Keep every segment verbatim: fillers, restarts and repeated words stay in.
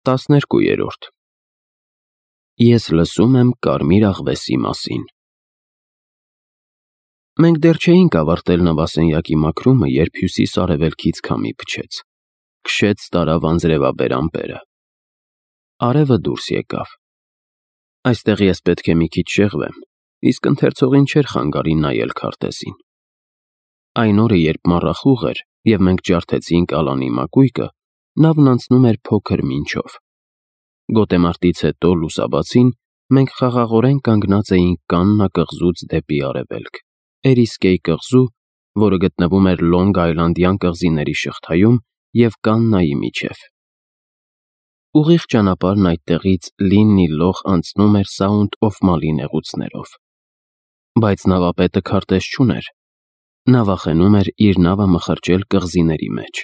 տասներկուերորդ Ես լսում եմ կարմիր աղվեսի մասին։ Մենք դեռ չէինք ավարտել նավասենյակի մաքրումը, երբ հյուսիս-արևելքից քամի փչեց, քշեց տարավ անձրևաբեր ամպերը։ Արևը դուրս եկավ։ Այստեղ ես պետք է մի քիչ շեղվեմ, իսկ ընթերցողին չէր խանգարի նայել քարտեզին։ Այն օրը, երբ մառախուղ էր, և մենք ջարդեցինք Ալանի մակույկը, նավն անցնում էր փոքր միջով։ Գոտեմարտից հետո լուսաբացին մենք խաղաղորեն կանգնած էինք Կաննա կղզուց դեպի արևելք, Էրիսկեյ կղզու, որը գտնվում էր Լոնգ Այլանդյան կղզիների շղթայում, և Կաննայի միջև։ Ուղիղ ճանապարհն այդտեղից Լիննի լող անցնում էր Սաունդ օֆ Մալի նեղուցներով։ Բայց նավապետը քարտեզ չուներ։ Նա վախենում էր իր նավը մխրճել կղզիների մեջ,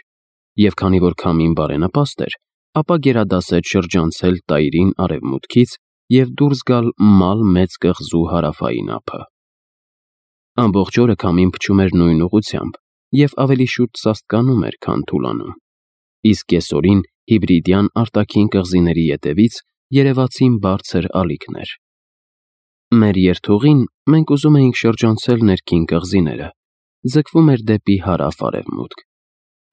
և քանի որ քամին բարենպաստ էր, ապա գերադասեց շրջանցել Տայրին արևմուտքից և դուրս գալ Մալ մեծ կղզու հարավային ափը։ Ամբողջ օրը քամին փչում էր նույն ուղղությամբ և ավելի շուտ սաստկանում էր, քան թուլանում, իսկ կեսօրին Հիբրիդյան արտաքին կղզիների ետևից երևացին բարձր ալիքներ։ Մեր երթուղին մենք ուզում էինք շրջանցել ներքին կղզիները, ձգվում էր դեպի հարավ-արևմուտք,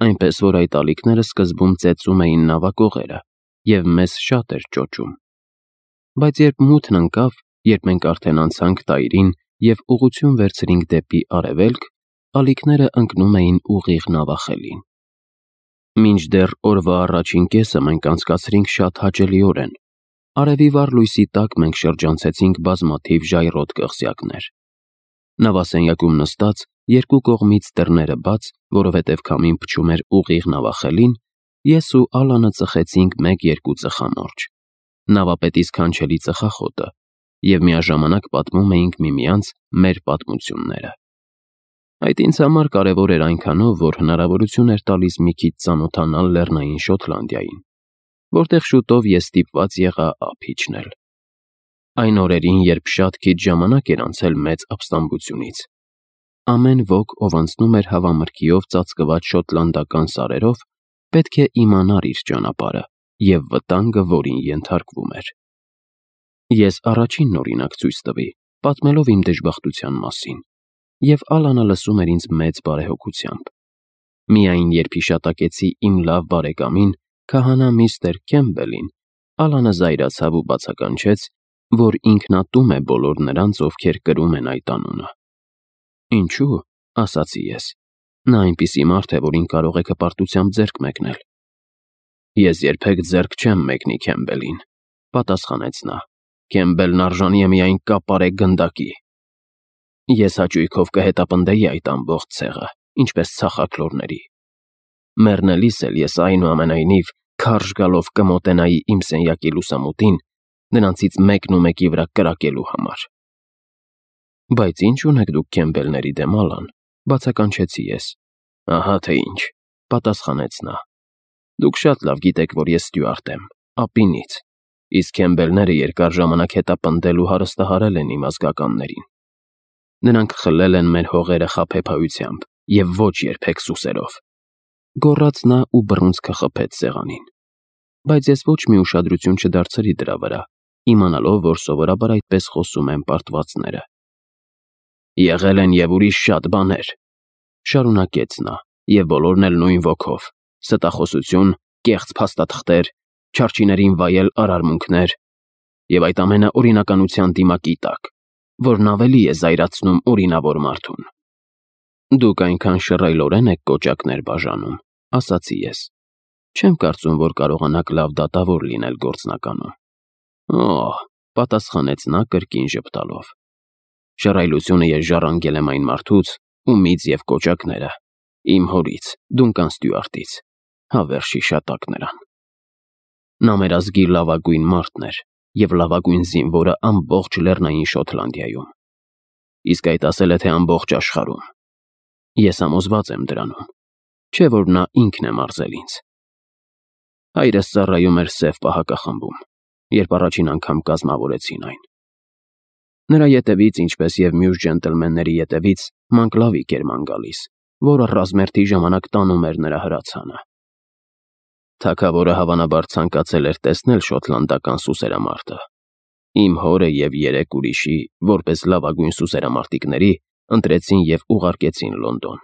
այնպես որ այդ ալիքները սկզբում ծեծում էին նավակողերը, և մեզ շատ էր ճոճում։ Բայց երբ մութն ընկավ, երբ մենք արդեն անցանք Տայրին և ուղղություն վերցրինք դեպի արևելք, ալիքները ընկնում էին ուղիղ նավախելին։ Մինչդեռ օրվա առաջին կեսը մենք անցկացրինք շատ հաճելիորեն։ Արևի վառ լույսի տակ մենք շրջանցեցինք բազմաթիվ ժայռոտ կղզյակներ։ Նավասենյակում նստած, երկու կողմից դռները բաց, որովհետև քամին փչում էր ուղիղ նավախելին, ես ու Ալանը ծխեցինք մեկ-երկու ծխամորճ, նավապետի սքանչելի ծխախոտը, և միաժամանակ պատմում էինք միմյանց մեր պատմությունները։ Այդ ինձ համար կարևոր էր այնքանով, որ հնարավորություն էր տալիս մի քիչ ծանոթանալ Լեռնային Շոտլանդիային, որտեղ շուտով ես ստիպված եղա ափ իջնել։ Այն օրերին, երբ շատ քիչ ժամանակ էր անցել մեծ ապստամբությունից, ամեն ոք, ով անցնում էր հավամրգիով ծածկված շոտլանդական սարերով, պետք է իմանար իր ճանապարհը և վտանգը, որին ենթարկվում էր։ Ես առաջինն օրինակ ցույց տվի, պատմելով իմ դժբախտության մասին, և Ալանը լսում էր ինձ մեծ բարեհոգությամբ։ Միայն երբ հիշատակեցի իմ լավ բարեկամին, քահանա միստր Քեմբելին, Ալանը զայրացավ ու բացականչեց, որ ինքնատում է բոլոր նրանց, ովքեր կրում են այդ անունը։ Ինչու՞, ասացի ես, նա այնպիսի մարդ է, որին կարող եք հպարտությամբ ձեռք մեկնել։ Ես երբեք ձեռք չեմ մեկնի Քեմբելին, պատասխանեց նա, Քեմբելն արժանի է միայն կապարե գնդակի։ Ես հաճույքով կհետապնդեի այդ ամբողջ ցեղը, ինչպես ցախաքլորների։ Մեռնելիս էլ ես այնուամենայնիվ քարշ գալով կմոտենայի իմ սենյակի լուսամուտին, նրանցից մեկն ու մեկի վրա կրակելու համար։ Բայց ի՞նչ ունեք դուք Քեմբելների դեմ, Ալան, բացականչեցի ես։ Ահա թե ինչ, պատասխանեց նա։ Դուք շատ լավ գիտեք, որ ես ստյուարդ եմ, ապինից, իսկ Քեմբելները երկար ժամանակ հետապնդել ու հարստահարել են իմ ազգականներին։ Նրանք խլել են մեր հողերը խաբեբայությամբ և ոչ երբեք սուսերով։ Գոռաց նա ու բռունցքը խփեց սեղանին։ Բայց ես ոչ մի ուշադրություն չդարձրի դրա վրա, իմանալով, որ սովորաբար այդպես խոսում են պարտվածները։ Եղել են և ուրիշ շատ բաներ, շարունակեց նա, և բոլորն էլ նույն ոգով՝ ստախոսություն, կեղծ փաստաթղթեր, չարչիներին վայել արարմունքներ, և այդ ամենը օրինականության դիմակի տակ, որն ավելի է զայրացնում օրինավոր մարդուն։ Դուք այնքան շռայլորեն եք կոճակներ բաժանում, ասացի ես։ Չեմ կարծում, որ կարողանաք լավ դատավոր լինել գործնականում։ Օհ, պատասխանեց նա կրկին ժպտալով։ Շռայլությունը ես ժառանգել եմ այն մարդուց, ումից և կոճակները, իմ հորից, Դունկան Ստյուարտից, հավերժ հիշատակ նրան։ Նա մեր ազգի լավագույն մարդն էր և լավագույն զինվորը ամբողջ Լեռնային Շոտլանդիայում, իսկ այդ ասել է, թե ամբողջ աշխարհում։ Ես համոզված եմ դրանում, չէ՞ որ նա ինքն է մարզել ինձ։ Հայրս ծառայում էր Սև պահակախմբում, երբ առաջին անգամ կազմավորեցին այն։ Նրա ետևից, ինչպես և մյուս ջենտլմենների ետևից, Մանկլավիկ էր ման գալիս, որը ռազմերթի ժամանակ տանում էր նրա հրացանը։ Թագավորը հավանաբար ցանկացել էր տեսնել շոտլանդական սուսերամարտը։ Իմ հորը և երեք ուրիշի, որպես լավագույն սուսերամարտիկների, ընտրեցին և ուղարկեցին Լոնդոն։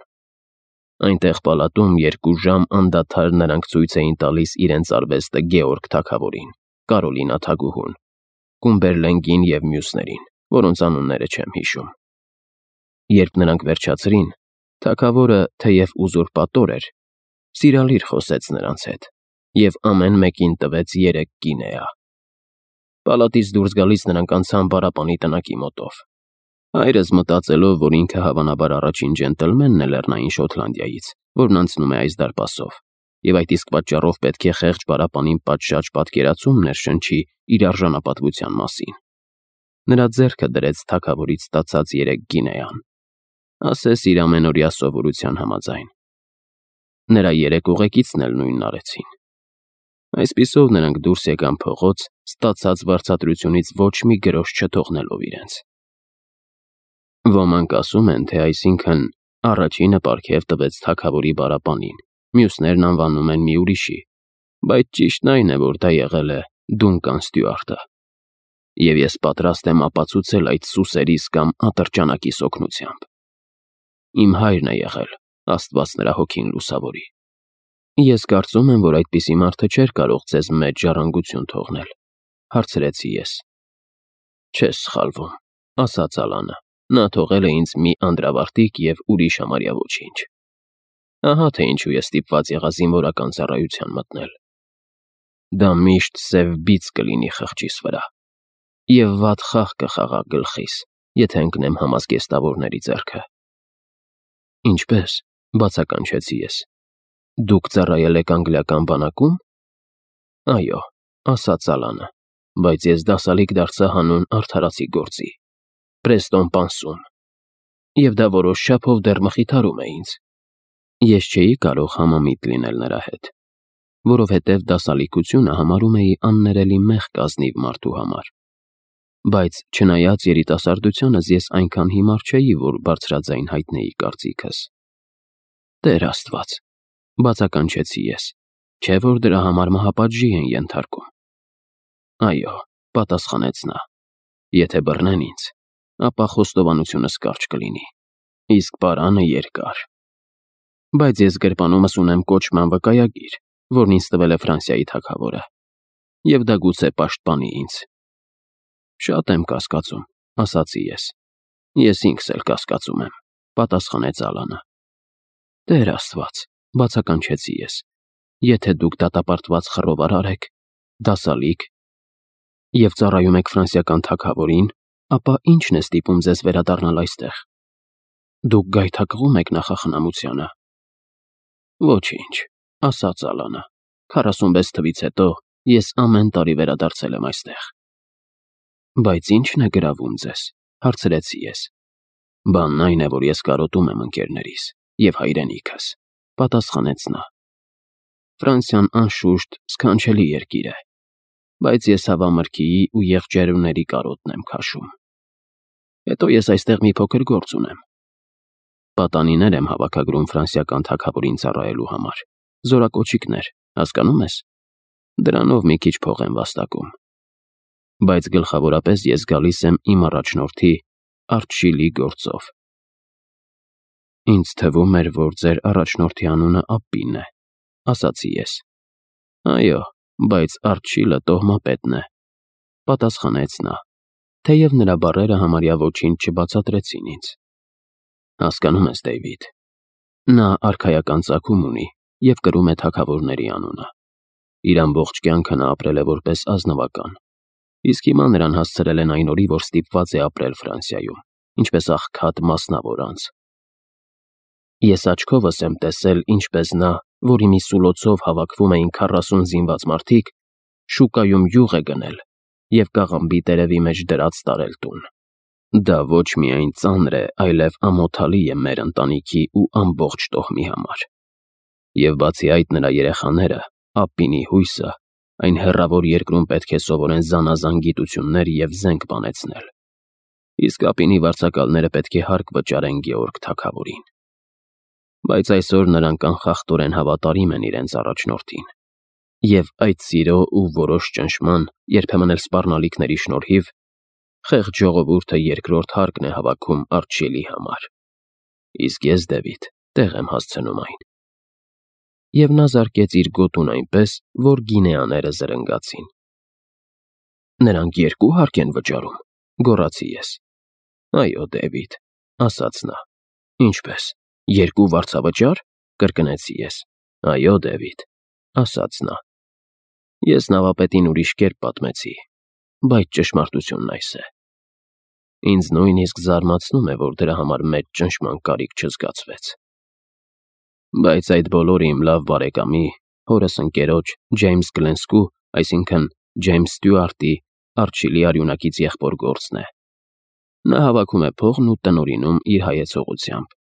Այնտեղ պալատում երկու ժամ անդադար նրանք ցույց էին տալիս իրենց արվեստը Գեորգ թագավորին, Կարոլինա թագուհուն, Կումբերլենգին և մյուսներին, որոնց անունները չեմ հիշում։ Երբ նրանք վերջացրին, թագավորը, թեև ուզուրպատոր էր, սիրալիր խոսեց նրանց հետ և ամեն մեկին տվեց երեք գինեա։ Պալատից դուրս գալիս նրանք անցան պարապանի տնակի մոտով։ Հայրս, մտածելով, որ ինքը հավանաբար առաջին ջենտլմենն է Լեռնային Շոտլանդիայից, որն անցնում է այս դարպասով, և այդ իսկ պատճառով պետք է խեղճ պարապանին պատշաճ պատկերացում ներշնչի իր արժանապատվության մասին, նրա ձեռքը դրեց թագավորից ստացած երեք գինեան, ասես իր ամենօրյա սովորության համաձայն։ Նրա երեք ուղեկիցն էլ նույնն արեցին։ Այսպիսով նրանք դուրս եկան փողոց, ստացած վարձատրությունից ոչ մի գրոշ չթողնելով իրենց։ Ոմանք ասում են, թե այսինքն առաջինը պարգև տվեց թագավորի պարապանին, մյուսներն անվանում են մի ուրիշի, բայց ճիշտն այն է, որ դա եղել է Դունկան Ստյուարտը, և ես պատրաստ եմ ապացուցել այդ սուսերիս կամ ատրճանակիս օգնությամբ։ Իմ հայրն է եղել, Աստված նրա հոգին լուսավորի։ Ես կարծում եմ, որ այդպիսի մարդը չէր կարող ձեզ մեծ ժառանգություն թողնել, հարցրեցի ես։ Չես սխալվում, ասաց Ալանը, նա թողել է ինձ մի անդրավարտիկ և ուրիշ համարյա ոչինչ։ Ահա թե ինչու ես ստիպված եղա զինվորական ծառայության մտնել։ Դա միշտ սև բիծ կլինի խղճիս վրա, և վատ խաղ կխաղա գլխիս, եթե ընկնեմ համազգեստավորների ձեռքը։ Ինչպե՞ս, բացականչեցի ես։ Դուք ծառայել եք անգլիական բանակում։ Այո, ասաց Ալանը, բայց ես դասալիկ դարձա հանուն արդարացի գործի, Պրեստոն պանսում, և դա որոշ չափով դեռ մխիթարում է ինձ։ Ես չէի կարող համամիտ լինել նրա հետ, որովհետև դասալիկությունը համարում էի աններելի մեղք ազնիվ մարդու համար, բայց չնայած երիտասարդությանս ես այնքան հիմար չէի, որ բարձրաձայն հայտնեի կարծիքս։ Տեր Աստված, բացականչեցի ես, չէ՞ որ դրա համար մահապատժի են ենթարկում։ Այո, պատասխանեց նա, եթե բռնեն ինձ, ապա խոստովանությունս կարճ կլինի, իսկ պարանը երկար։ Բայց ես գրպանումս ունեմ կոչման վկայագիր, որն ինձ տվել է Ֆրանսիայի թագավորը, և դա գուցե պաշտպանի ինձ։ Շատ եմ կասկածում, ասացի ես։ Ես ինքս էլ կասկածում եմ, պատասխանեց Ալանը։ Տեր Աստված, բացականչեցի ես, եթե դուք դատապարտված խռովարար եք, դասալիկ, և ծառայում եք ֆրանսիական թագավորին, ապա ի՞նչն է ստիպում ձեզ վերադառնալ այստեղ։ Դուք գայթակղում եք նախախնամությանը։ Ոչինչ, ասաց Ալանը, քառասունվեց թվից հետո ես ամեն տարի վերադարձել եմ այստեղ։ Բայց ի՞նչն է գրավում ձեզ, հարցրեցի ես։ Բանն այն է, որ ես կարոտում եմ ընկերներիս և հայրենիքս, պատասխանեց նա։ Ֆրանսիան անշուշտ սքանչելի երկիր է, բայց ես հավամրգիի ու եղջերուների կարոտն եմ քաշում։ Հետո ես այստեղ մի փոքր գործ ունեմ։ Պատանիներ եմ հավաքագրում ֆրանսիական թագավորին ծառայելու համար, զորակոչիկներ, հասկանում ես։ Դրանով մի քիչ փող եմ վաստակում։ Բայց գլխավորապես ես գալիս եմ իմ առաջնորդի Արչիլի գործով։ Ինձ թվում էր, որ ձեր առաջնորդի անունը Ապպին է, ասացի ես։ Այո, բայց Արչիլը տոհմապետն է, պատասխանեց նա, թեև նրա բառերը համարյա ոչինչ չբացատրեցին ինձ։ Հասկանում ես, Դեյվիդ, նա արքայական ծագում ունի և կրում է թագավորների անունը։ Իր ամբողջ կյանքը նա ապրել է որպես ազնվական, իսկ հիմա նրան հասցրել են այն օրի, որ ստիպված է ապրել Ֆրանսիայում, ինչպես աղքատ մասնավոր անձ։ Ես աչքովս եմ տեսել, ինչպես նա, որի մի սուլոցով հավաքվում էին քառասուն զինված մարդիկ, շուկայում յուղ է գնել և կաղամբի տերևի մեջ դրած տարել տուն։ Դա ոչ միայն ծանր է, այլև ամոթալի է մեր ընտանիքի ու ամբողջ տոհմի համար։ Եվ բացի այդ նրա երեխաները, Ապպինի հույսը, այն հեռավոր երկրում պետք է սովորեն զանազան գիտություններ և զենք բանեցնել։ Իսկ Ապպինի վարձակալները պետք է հարկ վճարեն Գեորգ թագավորին։ Բայց այսօր նրանք անխախտորեն հավատարիմ են իրենց առաջնորդին։ Եվ այդ սիրո ու որոշ ճնշման, երբեմն էլ սպառնալիքների շնորհիվ, խեղճ ժողովուրդը երկրորդ հարկն է հավաքում Արչիելի համար, իսկ ես, Դեվիդ, տեղ եմ հասցնում այն։ Եվ նա զարկեց իր գոտուն այնպես, որ գինեաները զրնգացին։ Նրանք երկու հարկ են վճարում, գոռացի ես։ Այո, Դեվիդ, ասաց նա։ Ինչպես, երկու վարձավճա՞ր, կրկնեցի ես։ Այո, Դեվիդ, ասաց նա։ Ես նավապետին ուրիշ կերպ պատմեցի, բայց ճշմարտությունն այս է։ Ինձ նույնիսկ զարմացնում է, որ դրա համար մեծ ճնշման կարիք չզգացվեց։ Բայց այդ բոլորը իմ լավ բարեկամի, հորս ընկերոջ, Ջեյմս Գլենսկու, այսինքն Ջեյմս Ստյուարտի, Արչիլի արյունակից եղբոր գործն է։ Նա հավաքում է փողն ու տնօրինում իր հայեցողությամբ։